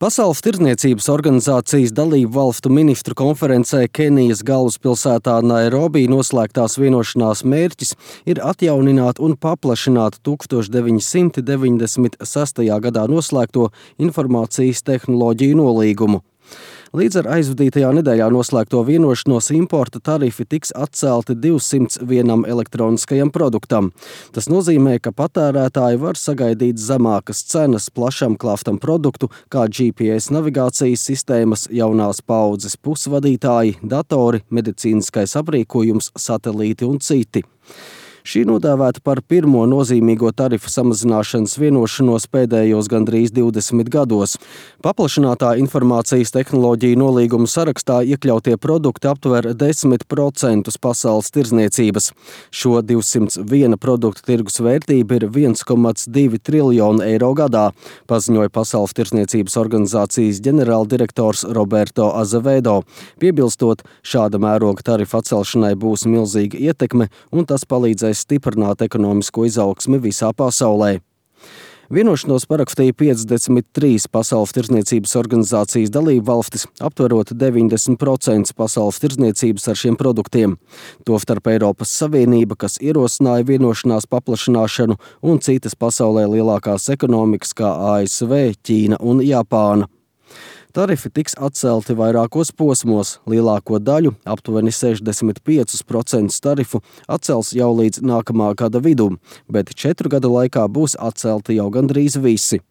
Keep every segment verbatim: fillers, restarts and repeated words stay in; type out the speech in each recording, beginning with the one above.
Pasaules tirdzniecības organizācijas dalību valstu ministru konferencē Kenijas galvaspilsētā Nairobi noslēgtās vienošanās mērķis ir atjaunināt un paplašināt tuksstoš deviņi simti deviņdesmit sestajā gadā noslēgto informācijas tehnoloģiju nolīgumu. Līdz ar aizvadītajā nedēļā noslēgto vienošanos importa tarifi tiks atcelti divsimts vienam elektroniskajam produktam. Tas nozīmē, ka patērētāji var sagaidīt zemākas cenas plašam klāstam produktu, kā G P S navigācijas sistēmas, jaunās paaudzes pusvadītāji, datori, medicīniskais aprīkojums, satelīti un citi. Šī nodēvēta par pirmo nozīmīgo tarifu samazināšanas vienošanos pēdējos gandrīz divdesmit gados. Paplašinātā informācijas tehnoloģiju nolīguma sarakstā iekļautie produkti aptver desmit procentus pasaules tirdzniecības. Šo divsimt viena produktu tirgus vērtība ir viens komats divi triljoni eiro gadā, paziņoja Pasaules tirdzniecības organizācijas ģenerāldirektors Roberto Azevedo. Piebilstot, šāda mēroga tarifa atcelšanai būs milzīga ietekme un tas palīdzēs stiprināt ekonomisko izaugsmi visā pasaulē. Vienošanos parakstīja piecdesmit trīs Pasaules tirdzniecības organizācijas dalību valstis, aptverot deviņdesmit procentus pasaules tirdzniecības ar šiem produktiem. Tostarp Eiropas Savienība, kas ierosināja vienošanās paplašināšanu, un citas pasaulē lielākās ekonomikas kā A S V, Ķīna un Japāna. Tarifi tiks atcelti vairākos posmos. Lielāko daļu, aptuveni sešdesmit piecus procentus tarifu, atcels jau līdz nākamā gada vidum, bet četru gadu laikā būs atcelti jau gandrīz visi.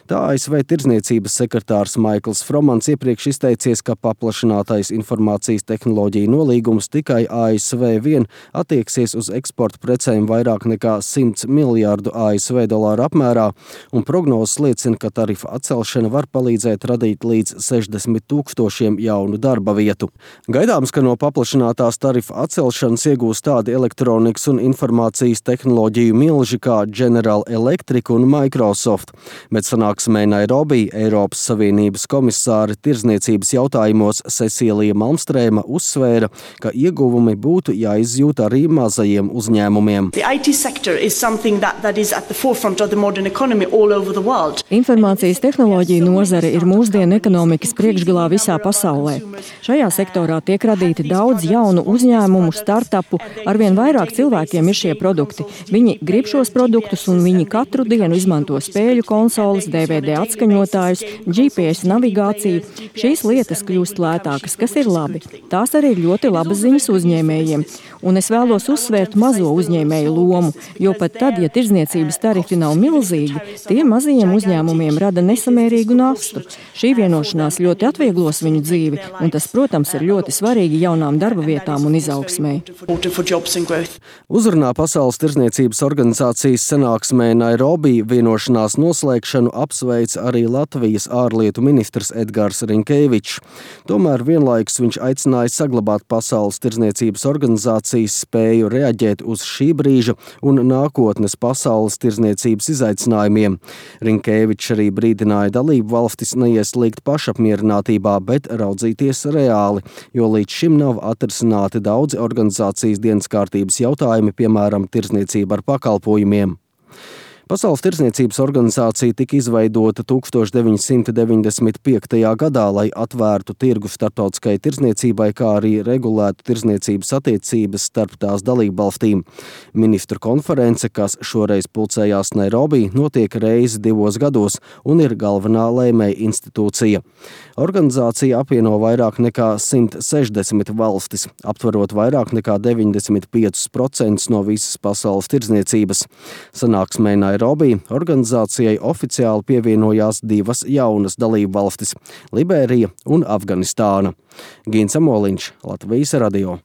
Tā A S V tirdzniecības sekretārs Maikls Fromans iepriekš izteicies, ka paplašinātais informācijas tehnoloģiju nolīgums tikai A S V vien attieksies uz eksporta precēm vairāk nekā simts miljārdu A S V dolāru apmērā, un prognozes liecina, ka tarifa atcelšana var palīdzēt radīt līdz sešdesmit tūkstošiem jaunu darba vietu. Gaidāms, ka no paplašinātās tarifa atcelšanas iegūs tādi elektronikas un informācijas tehnoloģiju milži kā General Electric un Microsoft. Bet sanāksmē Nairobi Eiropas Savienības komisāre tirdzniecības jautājumos Cecīlija Malmstrēma uzsvēra, ka ieguvumi būtu jāizjūt arī mazajiem uzņēmumiem. Informācijas tehnoloģija nozare ir mūsdienu ekonomikas priekšgalā visā pasaulē. Šajā sektorā tiek radīti daudz jaunu uzņēmumu, startupu, arvien vairāk cilvēkiem ir šie produkti. Viņi grib šos produktus un viņi katru dienu izmanto spēļu konsoles, D V D atskaņotājus, G P S navigāciju. Šīs lietas kļūst lētākas, kas ir labi. Tās arī ir ļoti labas ziņas uzņēmējiem. Un es vēlos uzsvērt mazo uzņēmēju lomu, jo pat tad, ja tirdzniecības tarifi nav milzīgi, tie mazajiem uzņēmumiem rada nesamērīgu nastu. Šī vienošanās ļoti atvieglos viņu dzīvi, un tas, protams, ir ļoti svarīgi jaunām darba vietām un izaugsmei. Uzrunā Pasaules tirdzniecības organizācijas sanāksmē Nairobi vienošanās noslēgšanu apsveic arī Latvijas ārlietu ministrs Edgars Rinkēvičs. Tomēr vienlaikus viņš aicināja saglabāt Pasaules tirdzniecības organizācijas spēju reaģēt uz šī brīža un nākotnes pasaules tirdzniecības izaicinājumiem. Rinkēvičs arī brīdināja dalību valstis neieslīgt pašapmierinātībā, bet raudzīties reāli, jo līdz šim nav atrisināti daudzi organizācijas dienas kārtības jautājumi, piemēram, tirdzniecība ar pakalpojumiem. Pasaules tirdzniecības organizācija tika izveidota tuksstoš deviņi simti deviņdesmit piektajā gadā, lai atvērtu tirgu starptautiskai tirdzniecībai, kā arī regulētu tirdzniecības attiecības starp tās dalībvalstīm. Ministru konference, kas šoreiz pulcējās Nairobi, notiek reizi divos gados un ir galvenā lēmēja institūcija. Organizācija apvieno vairāk nekā simt sešdesmit valstis, aptverot vairāk nekā deviņdesmit piecus procentus no visas pasaules tirdzniecības. Sanāksmē Nairobi organizācijai oficiāli pievienojās divas jaunas dalību valstis – Liberija un Afganistāna. Gins Amoliņš, Latvijas radio.